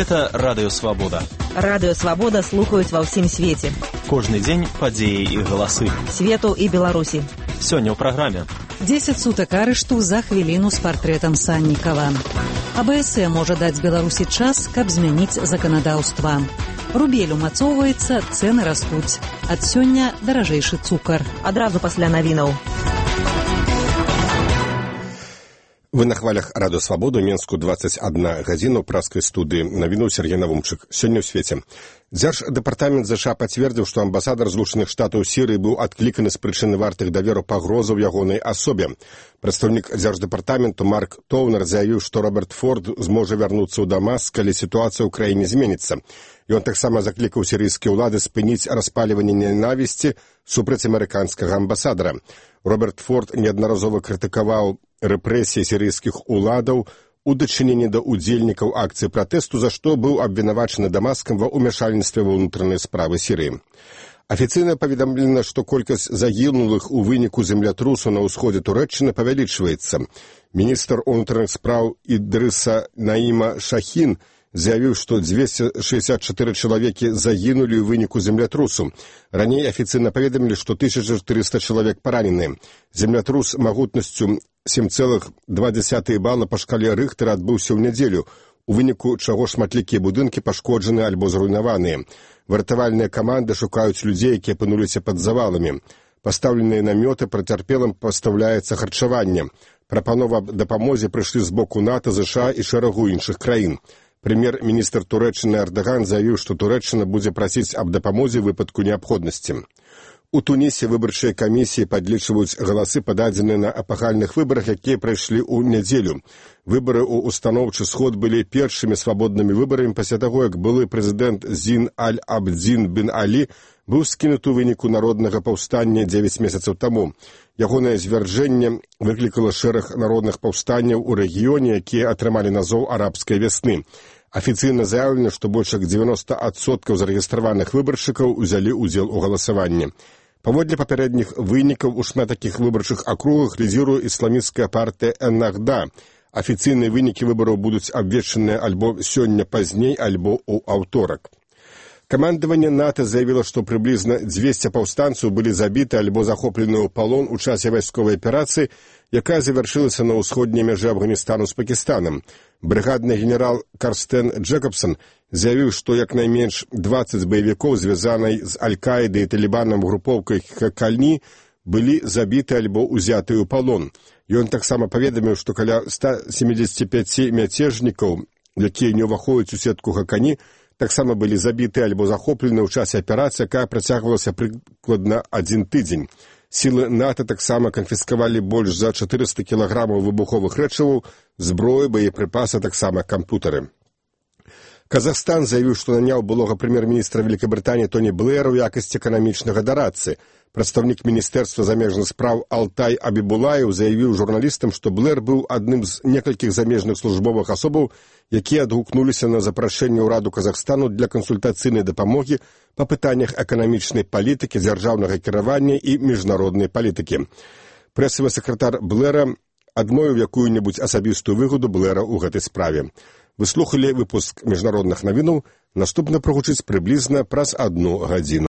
Гэта Радыё Свабода. Радыё Свабода слухаюць ва ўсім свеце. Кожны дзень падзеі і галасы. Свету і Беларусі. Сёння ў праграме. 10 сутак арышту за хвіліну з партрэтам Саннікава. АБС можа даць Беларусі час, каб змяніць заканадаўства. Рубель умацоўваецца, цэны растуць. Ад сёння даражэйшы цукар. Адразу пасля навінаў. Вы на хвалях Радыё Свабоду, Менску 21 гадзіну, праскай студыі. Навіну Сергей Навумчык. Сёння ў свеце. Дзярждэпартамент ЗША пацвердзіў, што амбасадар Злучаных Штатаў Сірыі быў адкліканы з прычыны вартых даверу пагрозаў ягонай асобе. Прадстаўнік дзярждэпартаменту Марк Тоўнер заявіў, што Роберт Форд зможа вярнуцца ў Дамаск, калі сітуацыя ў краіне зменіцца. Ён таксама заклікаў сірыйскія ўлады спыніць распаліванне ненавісці супраць амерыканскага амбасадара. Роберт Форд неаднаразова крытыкаваў рэпрэсіі сірыйскіх уладаў у дачыненні да удзельнікаў акцыі пратэсту, за што быў абвінавачаны Дамаскам ва ўмяшальніцтве ва ўнутраныя справы Сірыі. Афіцыйна паведамлена, што колькасць загінулых у выніку землятрусу на ўсходзе Турэччыны павялічваецца. Міністр унутраных спраў Ідрыса Наіма Шахін заявіў, што 264 чалавекі загінулі ў выніку землятрусу. Раней афіцыйна паведамілі, што 1400 чалавек паранены. Землятрус магутнасцю 7,2 бала па шкале Рыхтера адбыўся ў нядзелю, у выніку чаго шматлікія будынкі пашкоджаны альбо зруйнаваныя. Выратавальныя каманды шукаюць людзей, якія апынуліся пад заваламі. Пастаўленыя намёты, працярпелым пастаўляецца харчаванне. Прапанова аб дапамозе прыйшлі з боку НАТО, ЗША і шэрагу іншых краін. Прэм'ер-міністр Турэччыны Эрдаган заявіў, што Турэччына будзе прасіць аб дапамозе ў выпадку неабходнасці. У Тунісе выбарчыя камісіі падлічваюць галасы, пададзеныя на эпахальных выбарах, якія прайшлі ў нядзелю. Выбары ў устаноўчы сход былі першымі свабоднымі выбарамі пасля таго, як былы прэзідэнт Зін Аль-Абдзін бен Алі быў скінуты ў выніку народнага паўстання 9 месяцаў таму. Ягонае звяржэнне выклікала шэраг народных паўстанняў у рэгіёне, якія атрымалі назоў арабскай вясны. Афіцыйна заявлена, што больш як 90% зарэгістраваных выбаршчыкаў узялі ўдзел у галасаванні. Паводле папярэдніх вынікаў у шмат такіх выбарчых акругах лідзіруе ісламісцкая партыя Эннахда. Афіцыйныя вынікі выбараў будуць абвешчаныя альбо сёння пазней, альбо ў аўторак. Камандаванне НАТО заявіла, што прыблізна 200 паўстанцаў былі забіты альбо захоплены ў палон у часе вайсковай аперацыі, якая завяршылася на ўсходняй мяжы Афганістану з Пакістанам. Брыгадны генерал Карстен Джэкабсон заявіў, што як найменш 20 баевікоў, звязанай з Аль-Каідай і Талібанам групоўкай Хакальні, былі забіты альбо ўзятыя ў палон. Ён таксама паведаміў, што каля 175 мяцежнікаў, якія не ўваходзяць у сетку Хакані, таксама былі забіты альбо захоплены ў часе аперацыі, якая працягвалася прыкладна 1 тыдзень. Сілы НАТО таксама канфіскавалі больш за 400 кілаграмаў выбуховых рэчываў, зброю, боепрыпасы, таксама кампутары. Казахстан заявіў, што наняў былога прэм'ер-міністра Вялікабрытаніі Тоні Блэра ў якасці эканамічнага дарадцы. Прадстаўнік міністэрства замежных спраў Алтай Абібулаев заявіў журналістам, што Блэр быў адным з некалькіх замежных службовых асобаў, якія адгукнуліся на запрашэнне ўраду Казахстану для кансультацыйнай дапамогі па пытаннях эканамічнай палітыкі, дзяржаўнага кіравання і міжнароднай палітыкі. Прэсавы сакратар Блэра адмовіў якую-небудзь асабістую выгаду Блэра ў гэтай справе. Вы слухалі выпуск міжнародных навінаў, наступна прагучыць прыблізна праз 1 гадзіну.